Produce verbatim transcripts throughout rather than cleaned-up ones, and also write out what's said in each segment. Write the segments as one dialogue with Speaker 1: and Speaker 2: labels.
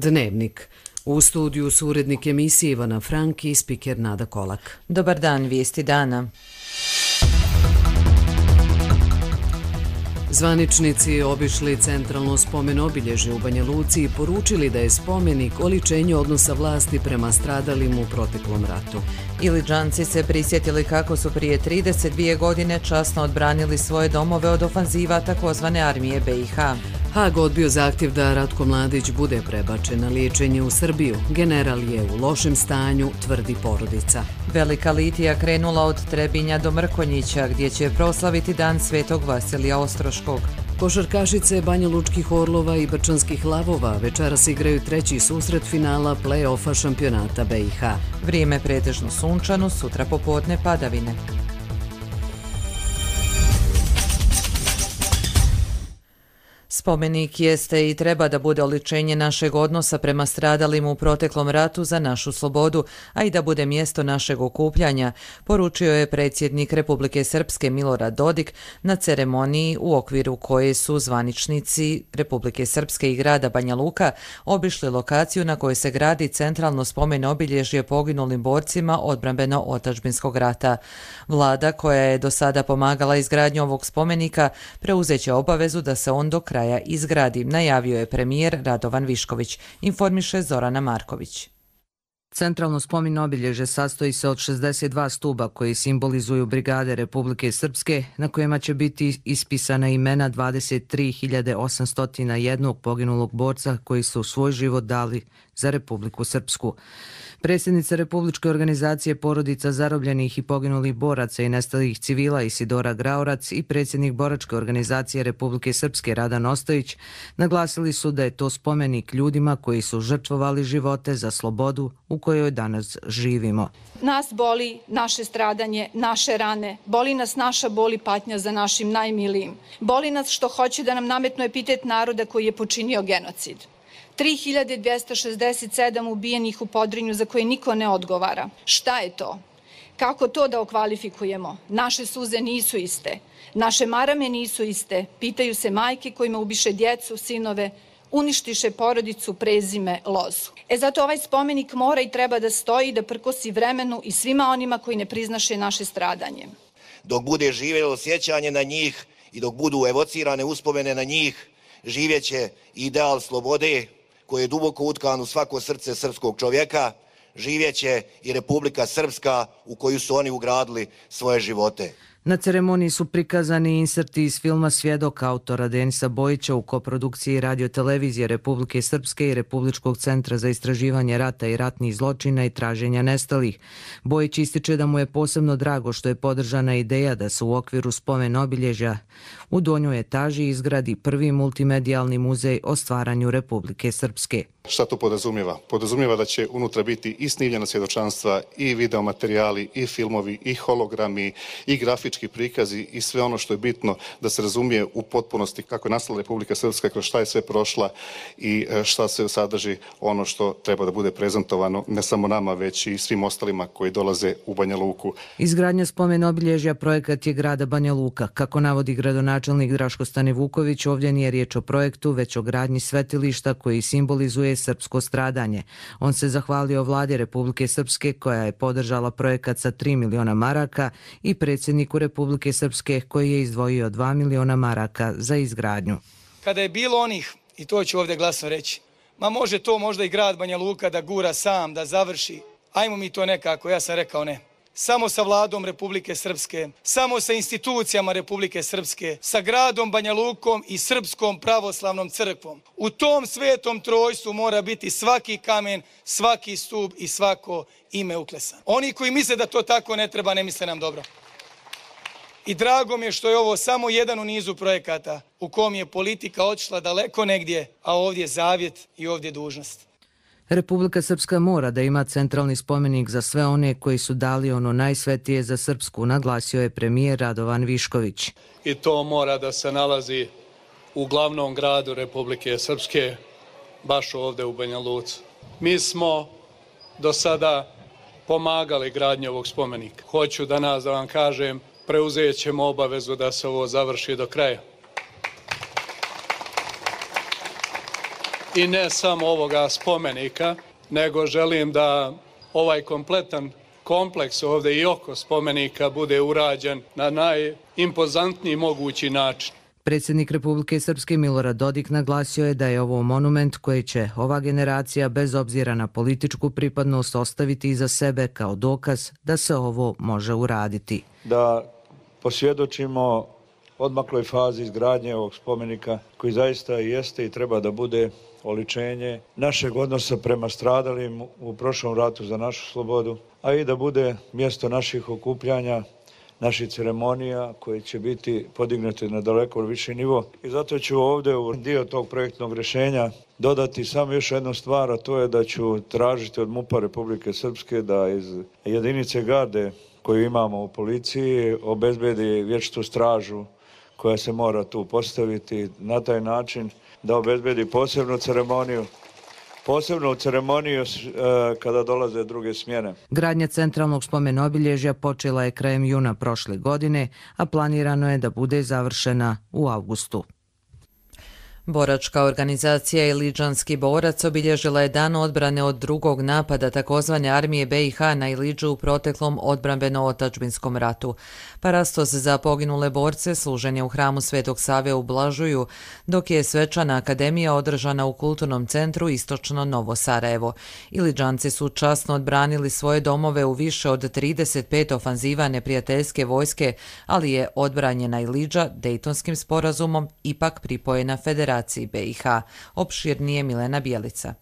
Speaker 1: Dnevnik. U studiju su urednik emisije Ivana Frank i spiker Nada Kolak.
Speaker 2: Dobar dan, vijesti dana.
Speaker 1: Zvaničnici obišli centralno spomen obilježje u Banja Luci i poručili da je spomenik oličenje odnosa vlasti prema stradalim u proteklom ratu.
Speaker 2: Iliđanci se prisjetili kako su prije trideset dvije godine časno odbranili svoje domove od ofanziva takozvane armije B i H.
Speaker 1: Hag odbio zahtjev da Ratko Mladić bude prebačen na liječenje u Srbiju. General je u lošem stanju, tvrdi porodica.
Speaker 2: Velika litija krenula od Trebinja do Mrkonjića, gdje će proslaviti dan Svetog Vasilija Ostroškog.
Speaker 1: Košarkašice Banja Lučkih Orlova i Brčanskih Lavova večeras igraju treći susret finala play-offa šampionata B i H.
Speaker 2: Vrijeme pretežno sunčano, sutra popodne padavine. Spomenik jeste i treba da bude oličenje našeg odnosa prema stradalim u proteklom ratu za našu slobodu, a i da bude mjesto našeg okupljanja, poručio je predsjednik Republike Srpske Milorad Dodik na ceremoniji u okviru koje su zvaničnici Republike Srpske i grada Banja Luka obišli lokaciju na kojoj se gradi centralno spomen obilježje poginulim borcima odbrambeno-otadžbinskog rata. Vlada, koja je do sada pomagala izgradnju ovog spomenika, preuzeće obavezu da se on do kraja izgradi, najavio je premijer Radovan Višković, informiše Zorana Marković.
Speaker 3: Centralno spomen obilježje sastoji se od šezdeset dva stuba koji simbolizuju brigade Republike Srpske, na kojima će biti ispisana imena dvadeset tri hiljade osamsto jedan poginulog borca koji su svoj život dali za Republiku Srpsku. Predsjednica Republičke organizacije porodica zarobljenih i poginulih boraca i nestalih civila Isidora Graorac i predsjednik Boračke organizacije Republike Srpske Radan Ostojić naglasili su da je to spomenik ljudima koji su žrtvovali živote za slobodu u kojoj danas živimo.
Speaker 4: Nas boli naše stradanje, naše rane, boli nas naša bol i patnja za našim najmilijim. Boli nas što hoće da nam nametnu epitet naroda koji je počinio genocid. tri hiljade dvjesto šezdeset sedam ubijenih u Podrinju za koje niko ne odgovara. Šta je to? Kako to da okvalifikujemo? Naše suze nisu iste. Naše marame nisu iste. Pitaju se majke kojima ubiše djecu, sinove, uništiše porodicu, prezime, lozu. E zato ovaj spomenik mora i treba da stoji, da prkosi vremenu i svima onima koji ne priznaše naše stradanje.
Speaker 5: Dok bude živjelo sjećanje na njih i dok budu evocirane uspomene na njih, živjeće ideal slobode koji je duboko utkan u svako srce srpskog čovjeka, živjeće i Republika Srpska u koju su oni ugradili svoje živote.
Speaker 3: Na ceremoniji su prikazani inserti iz filma Svjedok autora Denisa Bojića u koprodukciji Radio-televizije Republike Srpske i Republičkog centra za istraživanje rata i ratnih zločina i traženja nestalih. Bojić ističe da mu je posebno drago što je podržana ideja da se u okviru spomen obilježja u donjoj etaži izgradi prvi multimedijalni muzej o stvaranju Republike Srpske.
Speaker 6: Šta to podrazumijeva? Podrazumijeva da će unutra biti i snimljena svjedočanstva, i videomaterijali, i filmovi, i hologrami, i grafički prikazi i sve ono što je bitno da se razumije u potpunosti kako je nastala Republika Srpska, kroz šta je sve prošla i šta se sadrži ono što treba da bude prezentovano ne samo nama, već i svim ostalima koji dolaze u Banja Luku.
Speaker 3: Izgradnja spomen obilježja projekat je grada Banja Luka. Kako navodi gradonačelnik Draško Stanivuković, ovdje nije riječ o projektu, već o gradnji svetilišta koji simbolizuje srpsko stradanje. On se zahvalio vladi Republike Srpske koja je podržala projekat sa tri miliona maraka i predsjedniku Republike Srpske koji je izdvojio dva miliona maraka za izgradnju.
Speaker 7: Kada je bilo onih, i to ću ovdje glasno reći, ma može to možda i grad Banja Luka da gura sam, da završi, ajmo mi to nekako, ja sam rekao ne. Samo sa vladom Republike Srpske, samo sa institucijama Republike Srpske, sa gradom Banja Lukom i Srpskom pravoslavnom crkvom. U tom svetom trojstvu mora biti svaki kamen, svaki stup i svako ime uklesan. Oni koji misle da to tako ne treba, ne misle nam dobro. I drago mi je što je ovo samo jedan u nizu projekata u kom je politika otišla daleko negdje, a ovdje je zavjet i ovdje je dužnost.
Speaker 3: Republika Srpska mora da ima centralni spomenik za sve one koji su dali ono najsvetije za Srpsku, naglasio je premijer Radovan Višković.
Speaker 8: I to mora da se nalazi u glavnom gradu Republike Srpske, baš ovdje u Banja Luci. Mi smo do sada pomagali gradnju ovog spomenika. Hoću danas da vam kažem, preuzet ćemo obavezu da se ovo završi do kraja. i ne samo ovoga spomenika, nego želim da ovaj kompletan kompleks ovdje i oko spomenika bude urađen na najimpozantniji mogući način.
Speaker 3: Predsjednik Republike Srpske Milorad Dodik naglasio je da je ovo monument koji će ova generacija bez obzira na političku pripadnost ostaviti iza sebe kao dokaz da se ovo može uraditi.
Speaker 9: Da posvjedočimo odmakloj fazi izgradnje ovog spomenika koji zaista jeste i treba da bude oličenje našeg odnosa prema stradalim u prošlom ratu za našu slobodu, a i da bude mjesto naših okupljanja, naših ceremonija koje će biti podignute na daleko viši nivo. I zato ću ovdje u dio tog projektnog rješenja dodati samo još jednu stvar, a to je da ću tražiti od MUP-a Republike Srpske da iz jedinice garde koju imamo u policiji obezbedi vječitu stražu koja se mora tu postaviti na taj način da obezbedi posebnu ceremoniju, posebnu ceremoniju e, kada dolaze druge smjene.
Speaker 3: Gradnja centralnog spomen obilježja počela je krajem juna prošle godine, a planirano je da bude završena u avgustu.
Speaker 2: Boračka organizacija Iliđanski borac obilježila je dan odbrane od drugog napada takozvane armije B i H na Iliđu u proteklom odbrambeno-otadžbinskom ratu. Parastos za poginule borce služen je u hramu Svetog Save u Blažuju, dok je svečana akademija održana u kulturnom centru Istočno Novo Sarajevo. Iliđanci su časno odbranili svoje domove u više od trideset pet ofanziva neprijateljske vojske, ali je odbranjena Iliđa Dejtonskim sporazumom ipak pripojena Federaciji B i H. Opširnije Milena Bjelica.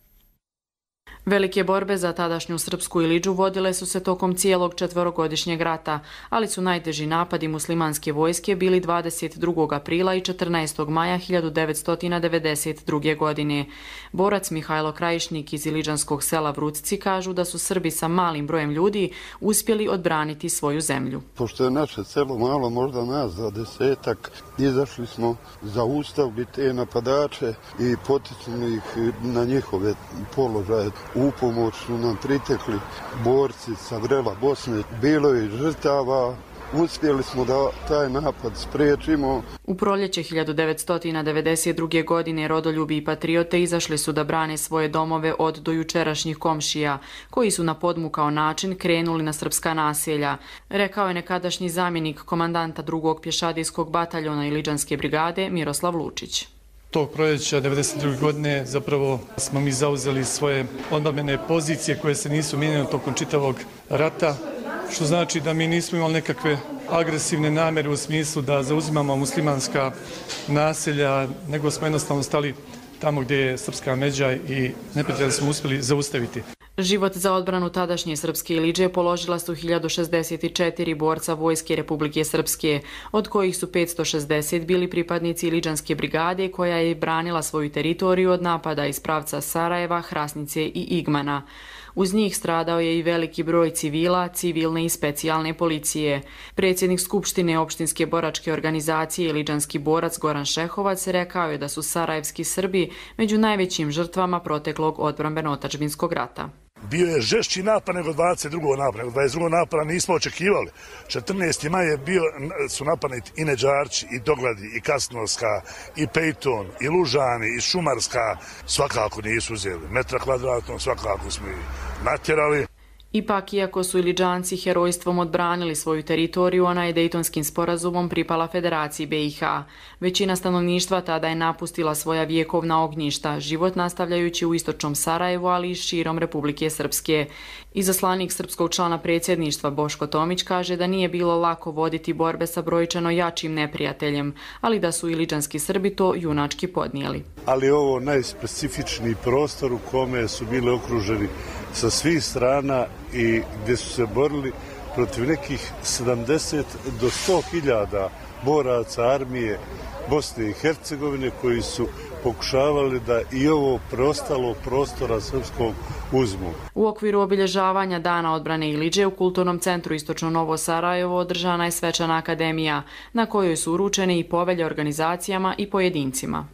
Speaker 10: Velike borbe za tadašnju srpsku Iliđu vodile su se tokom cijelog četverogodišnjeg rata, ali su najteži napadi muslimanske vojske bili dvadeset drugog aprila i četrnaestog maja hiljadu devetsto devedeset druge. godine. Borac Mihajlo Krajišnik iz iliđanskog sela Vrucici kažu da su Srbi sa malim brojem ljudi uspjeli odbraniti svoju zemlju.
Speaker 11: Pošto je naše selo malo, možda nas za desetak, izašli smo zaustaviti te napadače i poticali ih na njihove položaje. U pomoć su nam pritekli borci sa vrela Bosne. Bilo je žrtava, uspjeli smo da taj napad spriječimo.
Speaker 10: U proljeće hiljadu devetsto devedeset druge. godine rodoljubi i patriote izašli su da brane svoje domove od dojučerašnjih komšija, koji su na podmukao način krenuli na srpska naselja, rekao je nekadašnji zamjenik komandanta drugog pješadijskog bataljona Iliđanske brigade Miroslav Lučić.
Speaker 12: Tog proljeća devedeset druge. godine zapravo smo mi zauzeli svoje odbrambene pozicije koje se nisu mijenjale tokom čitavog rata, što znači da mi nismo imali nekakve agresivne namjere u smislu da zauzimamo muslimanska naselja, nego smo jednostavno stali tamo gdje je srpska međa i neprijatelja smo uspjeli zaustaviti.
Speaker 10: Život za odbranu tadašnje srpske Iliđe položila su hiljadu šezdeset četiri borca Vojske Republike Srpske, od kojih su petsto šezdeset bili pripadnici Iliđanske brigade koja je branila svoju teritoriju od napada iz pravca Sarajeva, Hrasnice i Igmana. Uz njih stradao je i veliki broj civila, civilne i specijalne policije. Predsjednik Skupštine opštinske boračke organizacije Iliđanski borac Goran Šehovac rekao je da su sarajevski Srbi među najvećim žrtvama proteklog odbrambeno-otadžbinskog rata.
Speaker 13: Bio je žešći napad nego dvadeset drugog napada, nego dvadeset drugog napada nismo očekivali. četrnaesti maj je bio, su napadnuti i Neđarči, i Dogladi, i Kasnovska, i Pejton, i Lužani, i Šumarska. Svakako nisu uzeli. Metra kvadratnog svakako smo ih natjerali.
Speaker 10: Ipak, iako su Iliđanci herojstvom odbranili svoju teritoriju, ona je Dejtonskim sporazumom pripala Federaciji B i H. Većina stanovništva tada je napustila svoja vjekovna ognjišta, život nastavljajući u istočnom Sarajevu, ali i širom Republike Srpske. Izaslanik srpskog člana predsjedništva Boško Tomić kaže da nije bilo lako voditi borbe sa brojčano jačim neprijateljem, ali da su Iliđanski Srbi to junački podnijeli.
Speaker 11: Ali ovo najspecifičniji prostor u kome su bili okruženi sa svih strana i gdje su se borili protiv nekih sedamdeset do sto hiljada boraca armije Bosne i Hercegovine koji su pokušavali da i ovo preostalo prostora srpskog uzmu.
Speaker 10: U okviru obilježavanja Dana odbrane Iliđe u Kulturnom centru Istočno Novo Sarajevo održana je svečana akademija na kojoj su uručene i povelje organizacijama i pojedincima.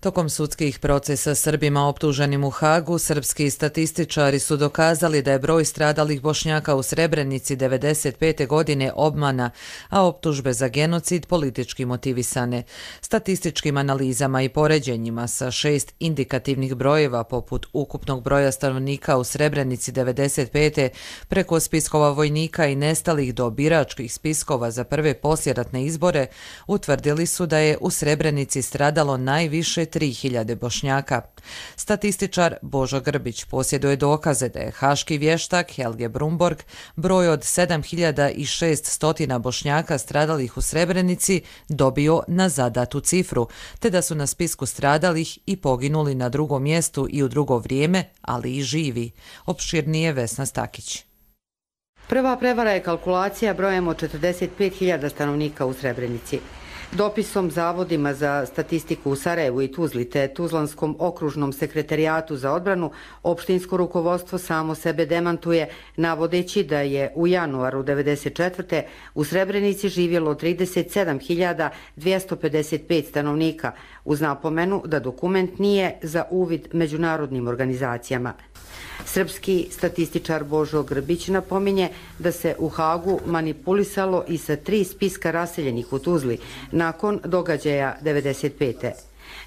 Speaker 2: Tokom sudskih procesa Srbima optuženim u Hagu, srpski statističari su dokazali da je broj stradalih Bošnjaka u Srebrenici devedeset pete godine obmana, a optužbe za genocid politički motivisane. Statističkim analizama i poređenjima sa šest indikativnih brojeva poput ukupnog broja stanovnika u Srebrenici devedeset pete preko spiskova vojnika i nestalih do biračkih spiskova za prve poslijeratne izbore, utvrdili su da je u Srebrenici stradalo najviše tri hiljade Bošnjaka. Statističar Božo Grbić posjeduje dokaze da je haški vještak Helge Brumborg broj od sedam hiljada šesto Bošnjaka stradalih u Srebrenici dobio na zadatu cifru, te da su na spisku stradalih i poginuli na drugom mjestu i u drugo vrijeme, ali i živi. Opširnije Vesna Stakić.
Speaker 14: Prva prevara je kalkulacija brojem od četrdeset pet hiljada stanovnika u Srebrenici. Dopisom Zavodima za statistiku u Sarajevu i Tuzli te Tuzlanskom okružnom sekretarijatu za odbranu, opštinsko rukovodstvo samo sebe demantuje, navodeći da je u januaru devedeset četvrte u Srebrenici živjelo trideset sedam hiljada dvjesto pedeset pet stanovnika, uz napomenu da dokument nije za uvid međunarodnim organizacijama. Srpski statističar Božo Grbić napominje da se u Hagu manipulisalo i sa tri spiska raseljenih u Tuzli nakon događaja devedeset pete.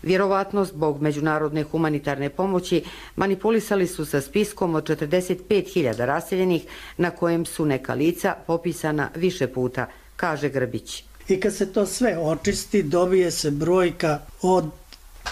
Speaker 14: Vjerovatno zbog međunarodne humanitarne pomoći manipulisali su sa spiskom od četrdeset pet hiljada raseljenih na kojem su neka lica popisana više puta, kaže Grbić.
Speaker 15: I kad se to sve očisti, dobije se brojka od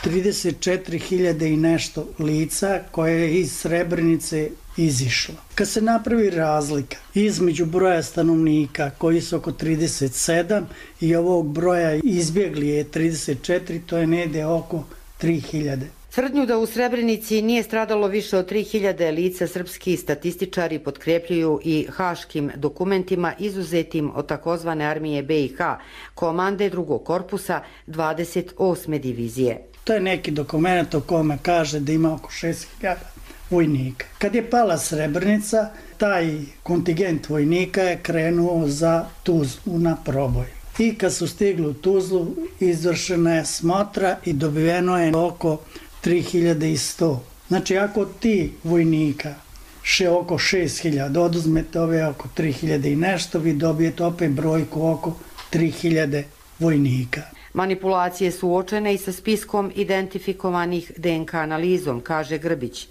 Speaker 15: trideset četiri hiljade i nešto lica koje je iz Srebrenice izišlo. Kad se napravi razlika između broja stanovnika koji su oko trideset sedam i ovog broja izbjegli je trideset četiri, to je negdje oko tri hiljade.
Speaker 14: Tvrdnju da u Srebrenici nije stradalo više od tri hiljade lica srpski statističari potkrepljuju i haškim dokumentima izuzetim od takozvane armije B i H, komande drugog korpusa dvadeset osme divizije.
Speaker 15: To je neki dokument o kome kaže da ima oko šest hiljada vojnika. Kad je pala Srebrenica, taj kontingent vojnika je krenuo za Tuzlu na proboj. I kad su stigli u Tuzlu, izvršena je smotra i dobiveno je oko tri hiljade sto. Znači, ako ti vojnika še oko šest hiljada oduzmete ove oko tri hiljade i nešto, vi dobijete opet brojku oko tri hiljade vojnika.
Speaker 14: Manipulacije su uočene i sa spiskom identifikovanih D N K analizom, kaže Grbić.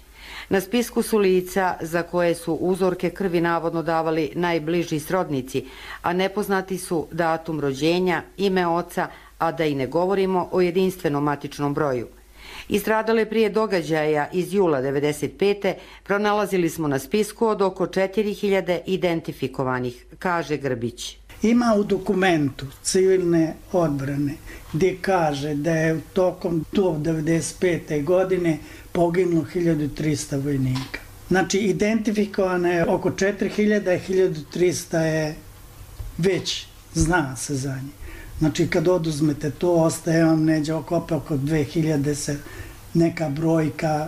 Speaker 14: Na spisku su lica za koje su uzorke krvi navodno davali najbliži srodnici, a nepoznati su datum rođenja, ime oca, a da i ne govorimo o jedinstvenom matičnom broju. I stradale prije događaja iz jula devedeset pete pronalazili smo na spisku od oko četiri hiljade identifikovanih, kaže Grbić.
Speaker 15: Ima u dokumentu civilne odbrane gdje kaže da je tokom do devedeset pete godine poginulo hiljadu trista vojnika. Znači, identifikovano je oko četiri hiljade, hiljadu trista je već, zna se za njih. Znači, kad oduzmete to, ostaje vam neđe oko, oko dve hiljade se neka brojka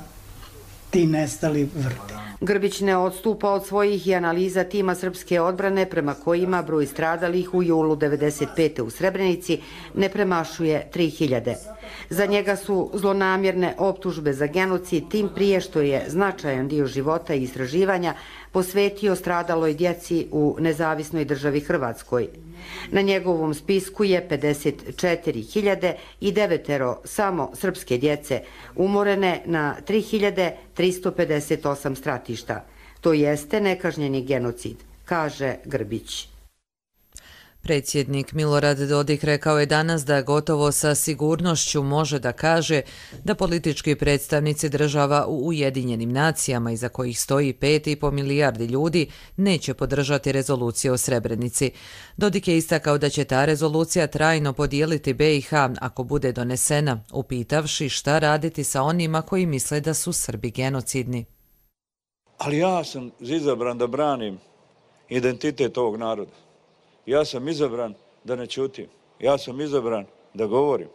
Speaker 15: ti nestali vrti.
Speaker 14: Grbić ne odstupa od svojih i analiza tima srpske odbrane prema kojima broj stradalih u julu devedeset pete u Srebrenici ne premašuje tri hiljade. Za njega su zlonamjerne optužbe za genocid, tim prije što je značajan dio života i istraživanja posvetio stradaloj djeci u nezavisnoj državi Hrvatskoj. Na njegovom spisku je pedeset četiri hiljade i devetero samo srpske djece, umorene na tri hiljade tristo pedeset osam stratišta. To jeste nekažnjeni genocid, kaže Grbić.
Speaker 2: Predsjednik Milorad Dodik rekao je danas da gotovo sa sigurnošću može da kaže da politički predstavnici država u Ujedinjenim nacijama, iza kojih stoji pet i po milijardi ljudi, neće podržati rezoluciju o Srebrenici. Dodik je istakao da će ta rezolucija trajno podijeliti B i H ako bude donesena, upitavši šta raditi sa onima koji misle da su Srbi genocidni.
Speaker 9: Ali ja sam izabran da branim identitet ovog naroda. Ja sam izabran da ne ćutim. Ja sam izabran da govorim.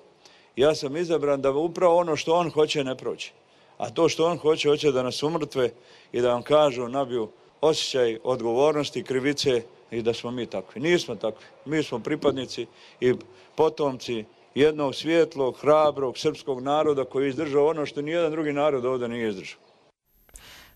Speaker 9: Ja sam izabran da upravo ono što on hoće ne proći. A to što on hoće, hoće da nas umrtve i da vam kažu, nabiju osjećaj odgovornosti, krivice i da smo mi takvi. Nismo takvi. Mi smo pripadnici i potomci jednog svijetlog, hrabrog srpskog naroda koji je izdržao ono što nijedan drugi narod ovdje nije izdržao.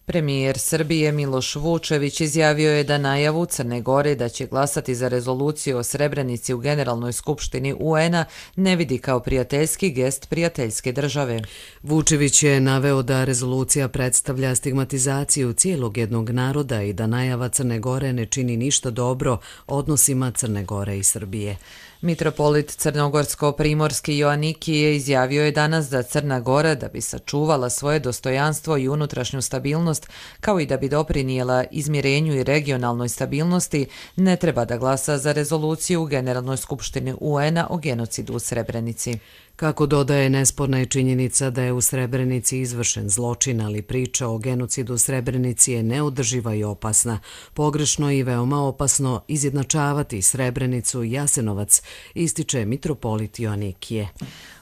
Speaker 2: Premijer Srbije Miloš Vučević izjavio je da najavu Crne Gore da će glasati za rezoluciju o Srebrenici u Generalnoj skupštini U N-a ne vidi kao prijateljski gest prijateljske države.
Speaker 1: Vučević je naveo da rezolucija predstavlja stigmatizaciju cijelog jednog naroda i da najava Crne Gore ne čini ništa dobro odnosima Crne Gore i Srbije.
Speaker 2: Mitropolit crnogorsko-primorski Joanikije izjavio je danas da Crna Gora, da bi sačuvala svoje dostojanstvo i unutrašnju stabilnost, kao i da bi doprinijela izmirenju i regionalnoj stabilnosti, ne treba da glasa za rezoluciju u Generalnoj skupštini U N-a o genocidu u Srebrenici.
Speaker 1: Kako dodaje, nesporna je činjenica da je u Srebrenici izvršen zločin, ali priča o genocidu u Srebrenici je neodrživa i opasna. Pogrešno i veoma opasno izjednačavati Srebrenicu i Jasenovac, ističe mitropolit Joanikije.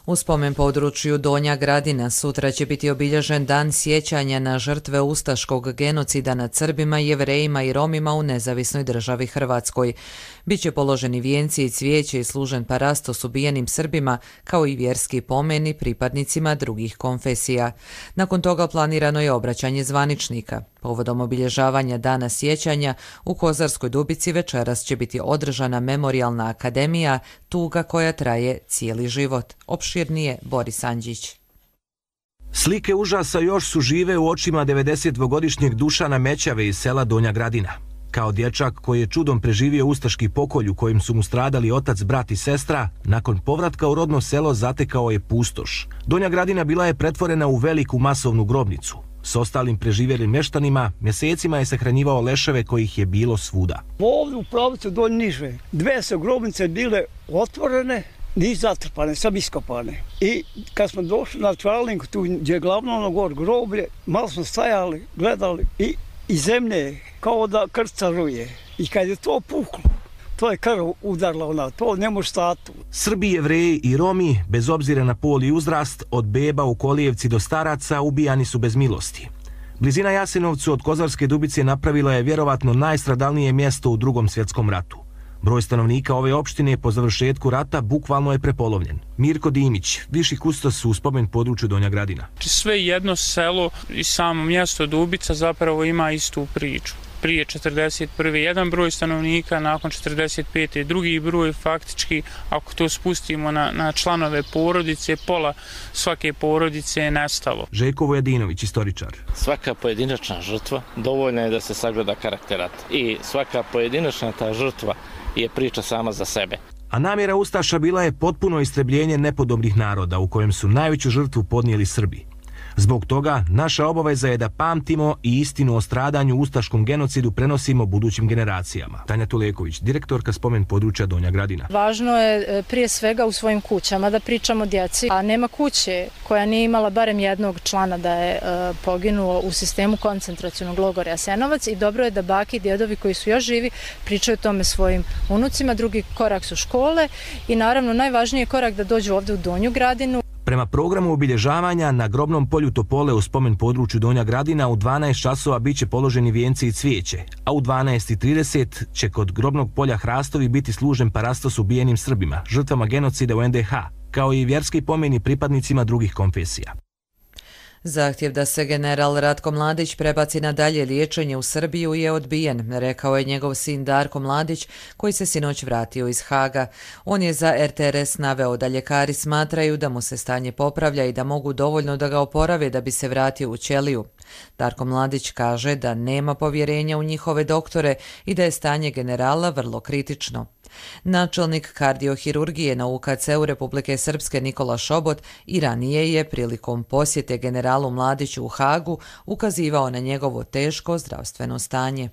Speaker 2: U spomen području Donja Gradina sutra će biti obilježen dan sjećanja na žrtve ustaškog genocida nad Srbima, Jevrejima i Romima u nezavisnoj državi Hrvatskoj. Biće položeni vijenci i cvijeće i služen parastos ubijenim Srbima, kao i vjerski pomeni pripadnicima drugih konfesija. Nakon toga planirano je obraćanje zvaničnika. Povodom obilježavanja dana sjećanja u Kozarskoj Dubici večeras će biti održana memorijalna akademija Tuga koja traje cijeli život. Opširnije Boris Andžić.
Speaker 16: Slike užasa još su žive u očima devedesetdvogodišnjeg Dušana Mećave iz sela Donja Gradina. Kao dječak koji je čudom preživio ustaški pokolj u kojem su mu stradali otac, brat i sestra, nakon povratka u rodno selo zatekao je pustoš. Donja Gradina bila je pretvorena u veliku masovnu grobnicu. S ostalim preživjelim mještanima mjesecima je sahranjivao leševe kojih je bilo svuda.
Speaker 17: Ovdje u pravicu Donj Niže dve su grobnice bile otvorene, nisu zatrpane, sam iskopane. I kad smo došli na Čvalinku, tu gdje je glavno ono gor groblje, malo smo stajali, gledali i, i zemlje kao da krca ruje. I kad je to puklo, to je krv udarla ona, to ne može stati.
Speaker 16: Srbi, Jevreji i Romi, bez obzira na pol i uzrast, od beba u Kolijevci do staraca, ubijani su bez milosti. Blizina Jasenovcu od Kozarske Dubice napravila je vjerovatno najstradalnije mjesto u Drugom svjetskom ratu. Broj stanovnika ove opštine po završetku rata bukvalno je prepolovljen. Mirko Dimić, viši kustos u spomen području Donja Gradina.
Speaker 18: Sve jedno selo i samo mjesto Dubica zapravo ima istu priču. Prije četrdeset prve jedan broj stanovnika, nakon četrdeset pete drugi broj, faktički, ako to spustimo na, na članove porodice, pola svake porodice je nestalo.
Speaker 16: Željko Vojadinović, istoričar.
Speaker 19: Svaka pojedinačna žrtva dovoljna je da se sagleda karakter rata. I svaka pojedinačna ta žrtva je priča sama za sebe.
Speaker 16: A namjera ustaša bila je potpuno istrebljenje nepodobnih naroda u kojem su najveću žrtvu podnijeli Srbi. Zbog toga, naša obaveza je da pamtimo i istinu o stradanju ustaškom genocidu prenosimo budućim generacijama. Tanja Tuleković, direktorka spomen područja Donja Gradina.
Speaker 20: Važno je prije svega u svojim kućama da pričamo djeci, a nema kuće koja nije imala barem jednog člana da je poginuo u sistemu koncentracionog logora Jasenovac i dobro je da baki i djedovi koji su još živi pričaju tome svojim unucima. Drugi korak su škole i naravno najvažniji je korak da dođu ovdje u Donju Gradinu.
Speaker 16: Prema programu obilježavanja na grobnom polju Topole u spomen području Donja Gradina u dvanaest časova bit će položeni vijenci i cvijeće, a u dvanaest i trideset će kod grobnog polja Hrastovi biti služen parastos ubijenim Srbima, žrtvama genocida u en de ha, kao i vjerski pomeni pripadnicima drugih konfesija.
Speaker 2: Zahtjev da se general Ratko Mladić prebaci na dalje liječenje u Srbiju je odbijen, rekao je njegov sin Darko Mladić, koji se sinoć vratio iz Haga. On je za er te er es naveo da ljekari smatraju da mu se stanje popravlja i da mogu dovoljno da ga oporave da bi se vratio u ćeliju. Darko Mladić kaže da nema povjerenja u njihove doktore i da je stanje generala vrlo kritično. Načelnik kardiohirurgije na u ka ce u Republike Srpske Nikola Šobot i ranije je prilikom posjete generalu Mladiću u Hagu ukazivao na njegovo teško zdravstveno stanje.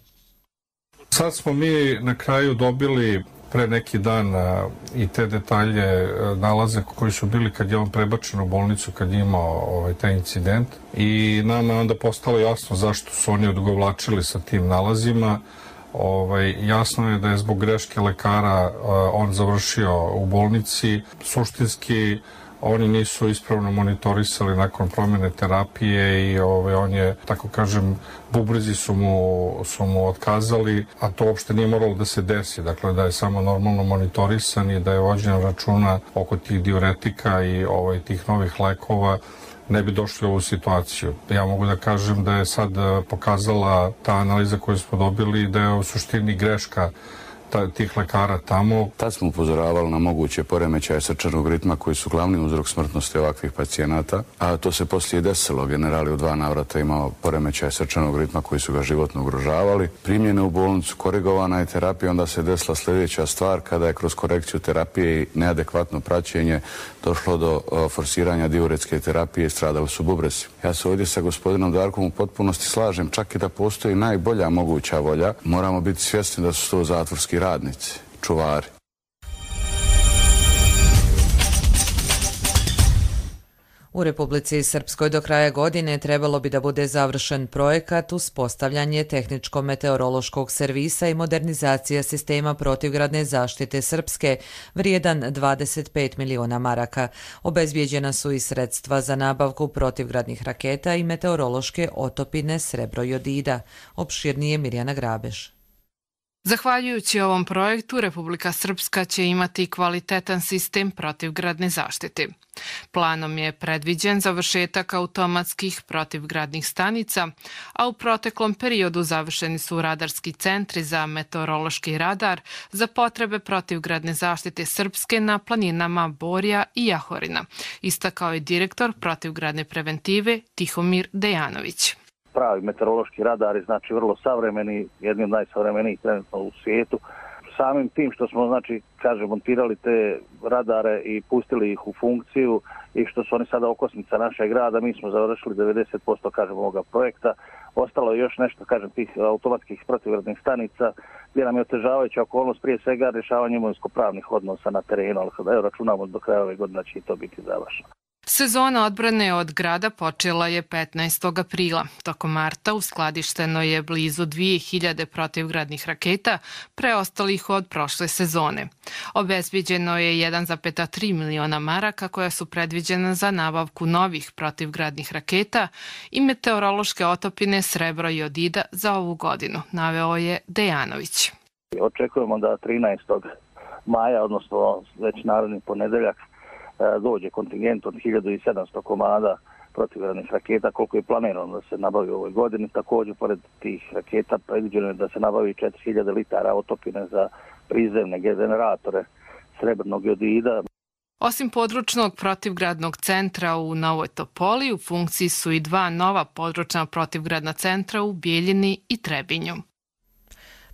Speaker 21: Sad smo mi na kraju dobili pre neki dan i te detalje nalaze koji su bili kad je on prebačen u bolnicu, kad je imao ovaj, taj incident i nama je onda postalo jasno zašto su oni odugovlačili sa tim nalazima. Ovaj, jasno je da je zbog greške lekara uh, on završio u bolnici. Suštinski oni nisu ispravno monitorisali nakon promjene terapije i ovaj, on je, tako kažem, bubrezi su mu, su mu otkazali, a to uopšte nije moralo da se desi, dakle da je samo normalno monitorisan i da je vođen računa oko tih diuretika i ovaj, tih novih lekova, ne bi došli u ovu situaciju. Ja mogu da kažem da je sad pokazala ta analiza koju smo dobili da je u suštini greška tih lekara tamo.
Speaker 4: Tad smo upozoravali na moguće poremećaje srčanog ritma koji su glavni uzrok smrtnosti ovakvih pacijenata, a to se poslije desilo. General je u dva navrata imao poremećaje srčanog ritma koji su ga životno ugrožavali. Primljene u bolnicu, korigovana je terapija, onda se desila sljedeća stvar kada je kroz korekciju terapije i neadekvatno praćenje došlo do forsiranja diuretske terapije i stradali su bubrezi. Ja se ovdje sa gospodinom Darkom u potpunosti slažem, čak i da postoji najbolja moguća volja, moramo biti svjesni da su to zatvorski radnici, čuvari.
Speaker 2: U Republici Srpskoj do kraja godine trebalo bi da bude završen projekat uspostavljanje tehničko-meteorološkog servisa i modernizacija sistema protivgradne zaštite Srpske, vrijedan dvadeset pet miliona maraka. Obezbijeđena su i sredstva za nabavku protivgradnih raketa i meteorološke otopine srebro-jodida. Opširnije Mirjana Grabeš.
Speaker 22: Zahvaljujući ovom projektu, Republika Srpska će imati kvalitetan sistem protivgradne zaštite. Planom je predviđen završetak automatskih protivgradnih stanica, a u proteklom periodu završeni su radarski centri za meteorološki radar za potrebe protivgradne zaštite Srpske na planinama Borja i Jahorina, istakao je direktor protivgradne preventive Tihomir Dejanović.
Speaker 23: Pravi meteorološki radari, znači vrlo savremeni, jedni od najsavremenijih trenutno u svijetu. Samim tim što smo, znači, kaže, montirali te radare i pustili ih u funkciju i što su oni sada okosnica našeg grada, mi smo završili devedeset posto, kažem, ovoga projekta. Ostalo je još nešto, kažem, tih automatskih protivgradnih stanica, gdje nam je otežavajuća okolnost, prije svega rješavanje imovinsko-pravnih odnosa na terenu, ali kada računamo do kraja ove godine će i to biti završeno.
Speaker 22: Sezona odbrane od grada počela je petnaestog aprila. Tokom marta uskladišteno je blizu dvije hiljade protivgradnih raketa, preostalih od prošle sezone. Obezbiđeno je jedan zarez tri miliona maraka koja su predviđena za nabavku novih protivgradnih raketa i meteorološke otopine srebro-jodida za ovu godinu, naveo je Dejanović.
Speaker 23: Očekujemo da trinaestog maja, odnosno već naredni ponedeljak, dođe kontingent od hiljadu sedamsto komada protivgradnih raketa, koliko je planirano da se nabavi u ovoj godini. Također, pored tih raketa, predviđeno je da se nabavi četiri hiljade litara otopine za prizemne generatore srebrnog jodida.
Speaker 22: Osim područnog protivgradnog centra u Novoj Topoli, u funkciji su i dva nova područna protivgradna centra u Bijeljini i Trebinju.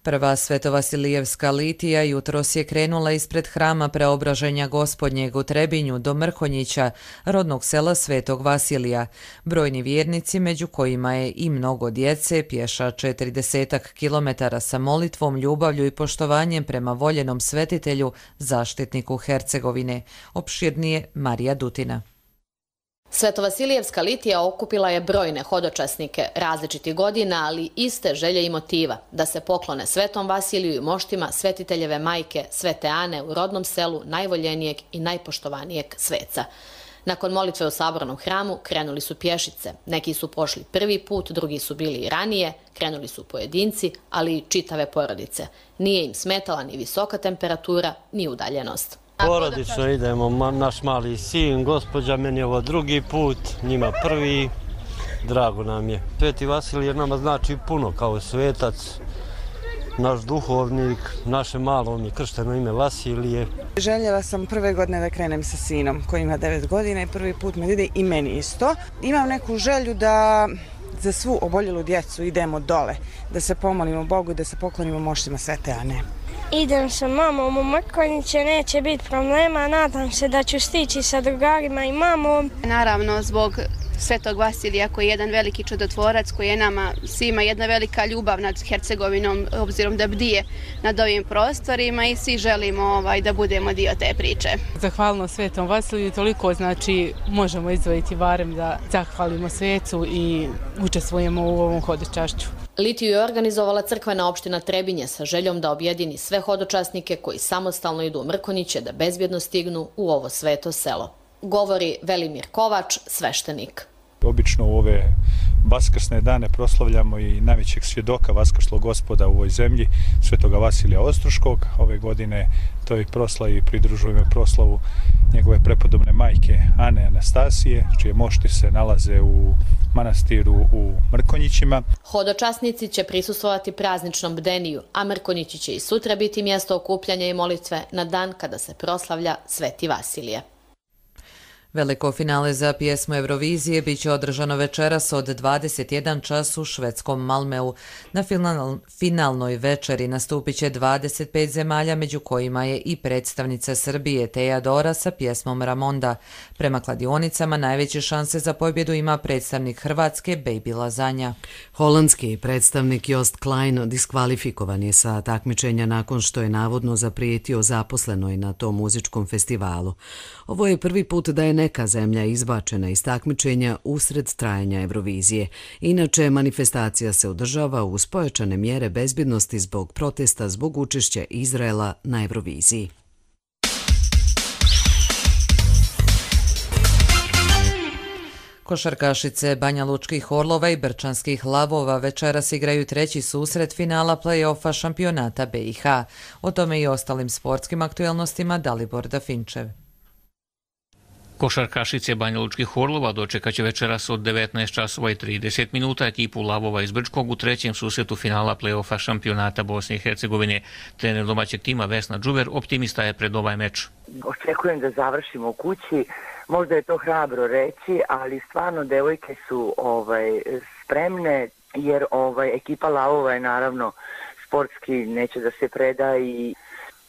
Speaker 2: Prva Svetovasilijevska litija jutros je krenula ispred hrama Preobraženja Gospodnjeg u Trebinju do Mrkonjića, rodnog sela Svetog Vasilija. Brojni vjernici, među kojima je i mnogo djece, pješa četrdesetak kilometara sa molitvom, ljubavlju i poštovanjem prema voljenom svetitelju, zaštitniku Hercegovine. Opširnije Marija Dutina.
Speaker 24: Svetovasilijevska litija okupila je brojne hodočasnike različitih godina, ali iste želje i motiva da se poklone Svetom Vasiliju i moštima svetiteljeve majke Svete Ane u rodnom selu najvoljenijeg i najpoštovanijeg sveca. Nakon molitve u sabornom hramu krenuli su pješice. Neki su pošli prvi put, drugi su bili i ranije, krenuli su pojedinci, ali i čitave porodice. Nije im smetala ni visoka temperatura, ni udaljenost.
Speaker 25: Porodično idemo, naš mali sin, gospođa, meni ovo drugi put, njima prvi, drago nam je. Sveti Vasilije nama znači puno kao svetac, naš duhovnik, naše malo mi je kršteno ime Vasilije.
Speaker 26: Željela sam prve godine da krenem sa sinom koji ima devet godina i prvi put me ide i meni isto. Imam neku želju da za svu oboljelu djecu idemo dole, da se pomolimo Bogu i da se poklonimo moštima Svete Ane.
Speaker 27: Idem sa mamom u Mrkonjiće, neće biti problema, nadam se da ću stići sa drugarima i mamom.
Speaker 28: Naravno, zbog Svetog Vasilija koji je jedan veliki čudotvorac, koji je nama svima jedna velika ljubav nad Hercegovinom, obzirom da bdije nad ovim prostorima i svi želimo ovaj, da budemo dio te priče.
Speaker 29: Zahvalno Svetom Vasiliju, toliko znači možemo izdvojiti barem da zahvalimo svecu i učestvujemo u ovom hodočašću.
Speaker 24: Litiju je organizovala crkvena opština Trebinje sa željom da objedini sve hodočasnike koji samostalno idu u Mrkonjiće da bezbjedno stignu u ovo sveto selo. govori Velimir Kovač, sveštenik.
Speaker 3: Obično u ove vaskrsne dane proslavljamo i najvećeg svjedoka vaskrslog gospoda u ovoj zemlji, svetoga Vasilija Ostroškog. Ove godine toj proslavi pridružujemo proslavu njegove prepodobne majke Ane Anastasije, čije mošti se nalaze u manastiru u Mrkonjićima.
Speaker 24: Hodočasnici će prisustvovati prazničnom bdeniju, a Mrkonjići će i sutra biti mjesto okupljanja i molitve na dan kada se proslavlja Sveti Vasilije.
Speaker 2: Veliko finale za pjesmu Eurovizije biće održano večeras od dvadeset jedan čas u švedskom Malmeu. Na final, finalnoj večeri nastupit će dvadeset pet zemalja, među kojima je i predstavnica Srbije Teja Dora sa pjesmom Ramonda. Prema kladionicama najveće šanse za pobjedu ima predstavnik Hrvatske Baby Lazanja.
Speaker 1: Holandski predstavnik Jost Klein diskvalifikovan je sa takmičenja nakon što je navodno zaprijetio zaposlenoj na tom muzičkom festivalu. Ovo je prvi put da je neka zemlja izbačena iz takmičenja usred trajanja Eurovizije. Inače, manifestacija se održava uz pojačane mjere bezbjednosti zbog protesta zbog učešća Izraela na Euroviziji.
Speaker 2: Košarkašice Banjalučkih Orlova i Brčanskih Lavova večeras igraju treći susret finala play-offa šampionata B i H. O tome i ostalim sportskim aktuelnostima Dalibor Dafinčev.
Speaker 5: Košarkašice Banjalučkih Orlova dočekaće večeras od devetnaest časova i trideset minuta ekipu Lavova iz Brčkog u trećem susretu finala play-offa šampionata Bosne i Hercegovine. Trener domaćeg tima Vesna Đuver optimista je pred ovaj meč.
Speaker 6: Očekujem da završimo u kući. Možda je to hrabro reći, ali stvarno devojke su ovaj, spremne, jer ovaj, ekipa Lavova je naravno sportski neće da se preda i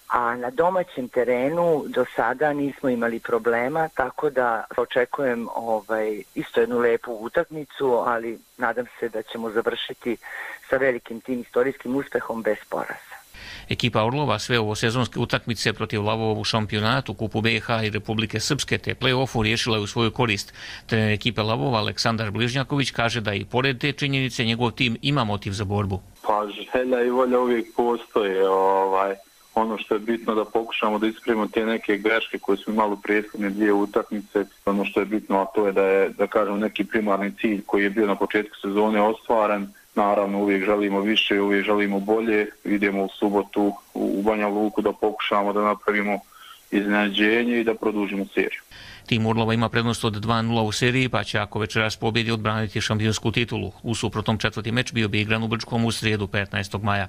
Speaker 6: a na domaćem terenu do sada nismo imali problema, tako da očekujem ovaj, isto jednu lepu utakmicu, ali nadam se da ćemo završiti sa velikim tim istorijskim uspehom bez poraza.
Speaker 5: Ekipa Orlova sve ovo sezonske utakmice protiv Lavova u šampionatu, Kupu B i H i Republike Srpske te play-offu riješila je u svoju korist. Trener ekipe Lavova Aleksandar Bližnjaković kaže da i pored te činjenice njegov tim ima motiv za borbu.
Speaker 7: Pa želja i volja uvijek postoje. Ovaj. Ono što je bitno da pokušamo da ispravimo te neke greške koje su imali u prethodne dvije utakmice. Ono što je bitno, a to je da je, da kažem, neki primarni cilj koji je bio na početku sezone ostvaren. Naravno, uvijek želimo više, uvijek želimo bolje. Idemo u subotu u Banja Luku da pokušamo da napravimo iznenađenje i da produžimo seriju.
Speaker 5: Tim Orlova ima prednost od dva nula u seriji, pa će ako večeras pobjedi odbraniti šampionsku titulu. U suprotnom četvrti meč bio bi igran u Brčkom u srijedu petnaestog maja.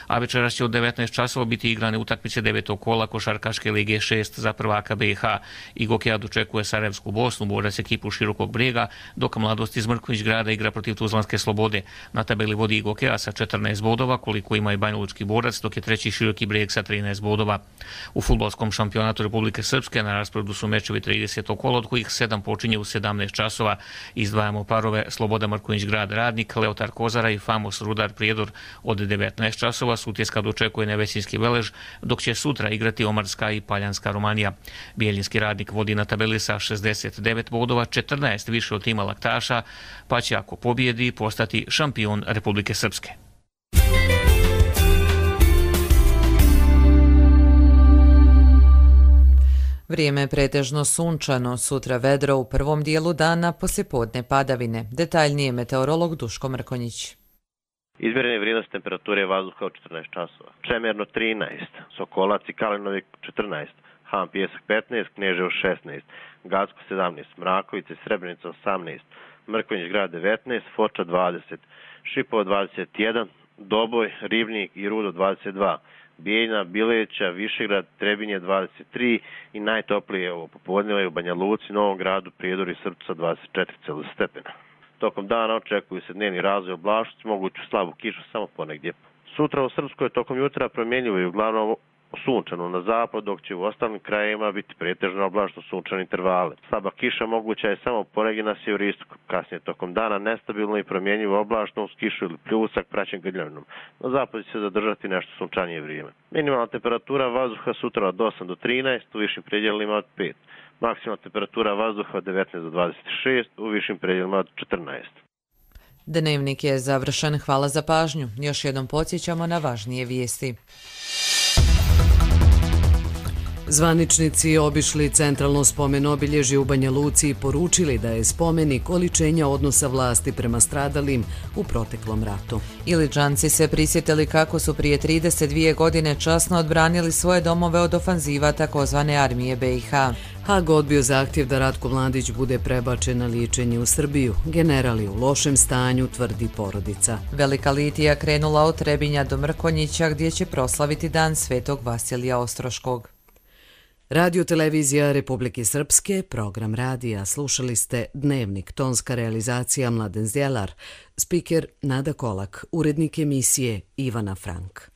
Speaker 5: A večeras će od devetnaest časova biti igrane utakmice devetog kola Košarkaške lige šest za prvaka B i H. Igokea dočekuje Sarajevsku Bosnu, borac ekipu Širokog Brijega, dok Mladost iz Mrkonjić Grada igra protiv Tuzlanske Slobode. Na tabeli vodi Igokea sa četrnaest bodova, koliko ima i Banjalučki borac, dok je treći Široki Brijeg sa trinaest bodova. U fudbalskom šampionatu Republike Srpske na rasporedu su mečevi tridesetog kola, od kojih sedam počinje u sedamnaest časova. Izdvajamo parove Sloboda Mrkonjić Grad Radnik, Leotar Kozara i Famos Rudar Prijedor od devetnaest časova. Sutjeska dočekuje Nevesinski Velež, dok će sutra igrati Omarska i Paljanska Romanija. Bijeljinski Radnik vodi na tabeli sa šezdeset devet bodova, četrnaest više od tima Laktaša, pa će ako pobjedi postati šampion Republike Srpske.
Speaker 2: Vrijeme je pretežno sunčano, sutra vedro u prvom dijelu dana, poslijepodne padavine. Detaljnije meteorolog Duško Mrkonjić.
Speaker 8: Izmjerene vrijednosti temperature vazduha u četrnaest časova. Čemerno trinaest, Sokolac i Kalinovik četrnaest, Han Pjesak petnaest, Kneževo šesnaest, Gacko sedamnaest, Mrakovice i Srebrenica osamnaest, Mrkonjić Grad devetnaest, Foča dvadeset, Šipovo dvadeset jedan, Doboj, Ribnik i Rudo dvadeset dva, Bijeljina, Bileća, Višegrad, Trebinje dvadeset tri i najtoplije ovo popodneva u Banja Luci, Novom Gradu, Prijedoru i Srpcu sa dvadeset četiri stepena. Tokom dana očekuju se dnevni razvoj oblačnosti, moguću slabu kišu samo ponegdje. Sutra u Srpskoj tokom jutra promjenjivo i uglavnom sunčano na zapad, dok će u ostalim krajevima biti pretežno oblačno sunčane intervale. Slaba kiša moguća je samo ponegdje na sjeveroistoku. Kasnije tokom dana nestabilno i promjenjivo oblačno uz kišu ili pljusak praćen grljavinom. Na zapadu će se zadržati nešto sunčanije vrijeme. Minimalna temperatura vazduha sutra od osam do trinaest, u višim predjelima od pet. Maksimalna temperatura vazduha od devetnaest do dvadeset šest, u višim predjelima od četrnaest.
Speaker 2: Dnevnik je završen, hvala za pažnju. Još jednom podsjećamo na važnije vijesti.
Speaker 1: Zvaničnici obišli centralno spomen obilježje u Banja Luci i poručili da je spomenik oličenja odnosa vlasti prema stradalim u proteklom ratu.
Speaker 2: Iličanci se prisjetili kako su prije trideset dvije godine časno odbranili svoje domove od ofanziva takozvane armije B i H.
Speaker 1: Hag odbio zahtjev da Ratko Mladić bude prebačen na liječenje u Srbiju. General je u lošem stanju, tvrdi porodica.
Speaker 2: Velika litija krenula od Trebinja do Mrkonjića gdje će proslaviti dan Svetog Vasilija Ostroškog.
Speaker 1: Radio televizija Republike Srpske, program radija. Slušali ste Dnevnik, tonska realizacija Mladen Zdjelar, spiker Nada Kolak, urednik emisije Ivana Frank.